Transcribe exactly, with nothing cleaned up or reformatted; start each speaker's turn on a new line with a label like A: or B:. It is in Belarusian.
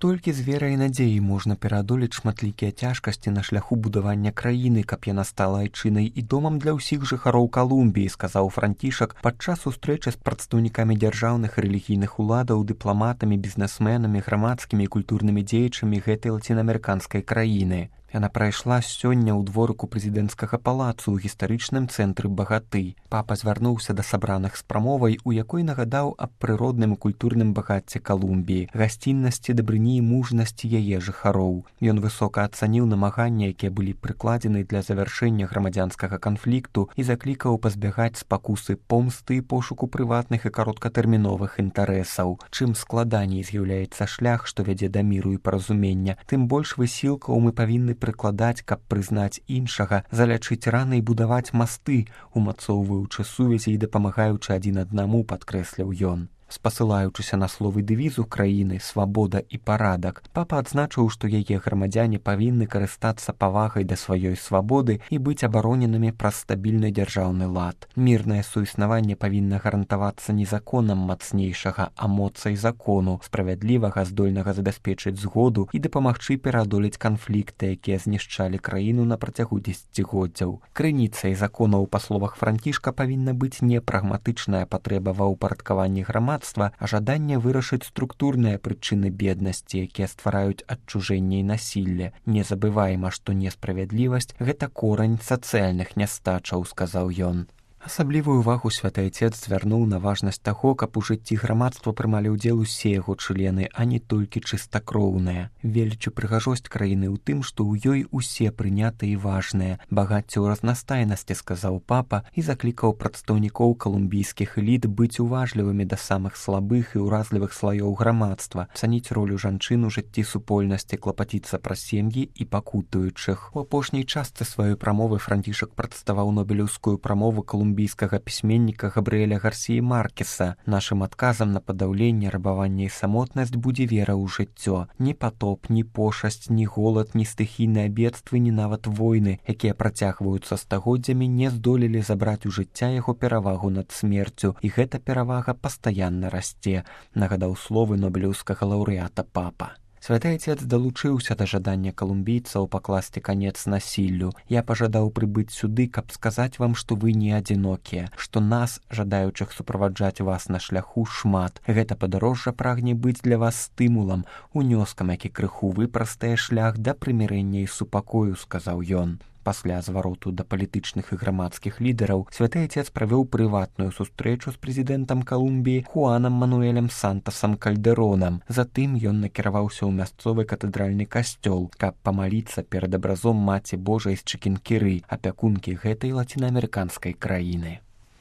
A: Толькі з верай і надзеяй можна пераадолець шматлікія цяжкасці на шляху будавання краіны, каб яна стала айчынай і домам для ўсіх жыхароў Калумбіі, сказаў Францішак падчас сустрэчы з прадстаўнікамі дзяржаўных і рэлігійных уладаў, дыпламатамі, бізнесменамі, грамадскімі і культурнымі дзеячамі гэтай лацінаамерыканскай краіны. Яна прайшла сёння ў дворыку прэзідэнцкага палацу ў гістарычным цэнтры Багаты. Папа звярнуўся да сабраных з прамовай, у якой нагадаў аб прыродным і культурным багацці Калумбіі, гасціннасці, дабрыні і мужнасці яе жыхароў. Ён высока ацаніў намаганні, якія былі прыкладзены для завяршэння грамадзянскага канфлікту і заклікаў пазбягаць спакусы помсты і пошуку прыватных і кароткатэрміновых інтарэсаў. Чым складаней з'яўляецца шлях, што вядзе да міру і паразумення, тым больш высілкаў мы павінны прыкладаць, каб прызнаць іншага, залячыць раны і будаваць масты, умацоўваючы сувязі і дапамагаючы адзін аднаму, падкрэсліў ён. Спасылаючыся на словы дэвізу краіны «Свабода і парадак», папа адзначыў, што яе грамадзяне павінны карыстацца павагай да сваёй свабоды і быць абароненымі праз стабільны дзяржаўны лад. Мірнае суіснаванне павінна гарантавацца не законам мацнейшага, а моцай закону, справядлівага, здольнага забяспечыць згоду і дапамагчы пераадолець канфлікты, якія знішчалі краіну на працягу дзесяцігоддзяў. Крыніцай законаў, па словах Францішка, павінна быць не прагматычная патрэба ва ўпарадкаванні грамадства, а жаданне вырашыць структурныя прычыны беднасці, якія ствараюць адчужэнне і насілле. Не забывайма, што несправядлівасць – гэта корань сацыяльных нястачаў, сказаў ён. Асаблівую ўвагу святы Айцец звярнуў на важнасць таго, каб у жыцці грамадства прымалі ўдзел усе яго члены, а не толькі чыстакроўныя. Велічу прыгажосць краіны ў тым, што ў ёй усе прынятыя і важныя. Багацце ў разнастайнасці, сказаў папа, і заклікаў прадстаўнікоў калумбійскіх эліт быць уважлівымі да самых слабых і ўразлівых слаёў грамадства, цаніць ролю жанчын у жыцці супольнасці, клапаціцца пра сем'і і пакутуючых. У апошняй частцы сваёй прамовы Францішак прадставаў нобелеўскую прамову калумбійскіх колумбійскага пісьменніка Габрыэля Гарсіі Маркеса. Нашым адказам на падаўленне, рабаванне і самотнасць будзе вера ў жыццё. Ні патоп, ні пошасць, ні голад, ні стыхійныя бедствы, ні нават войны, якія працягваюцца стагоддзямі, не здолелі забраць у жыцця яго перавагу над смерцю, і гэта перавага пастаянна расце, нагадаў словы нобелеўскага лаўрэата папа. Святы Айцец далучыўся да жадання калумбійцаў пакласці канец насіллю. Я пажадаў прыбыць сюды, каб сказаць вам, што вы не адзінокія, што нас, жадаючых суправаджаць вас на шляху, шмат. Гэта падарожжа прагне быць для вас стымулам, унёскам, які крыху выпрастае шлях да прымірэння і супакою, сказаў ён. Пасля звароту да палітычных і грамадскіх лідараў святы Айцец правёў прыватную сустрэчу з прэзідэнтам Калумбіі Хуанам Мануэлем Сантасам Кальдэронам. Затым ён накіраваўся ў мясцовы катэдральны касцёл, каб памаліцца перад абразом Маці Божай з Чыкінкіры, апякункі гэтай лацінаамерыканскай краіны.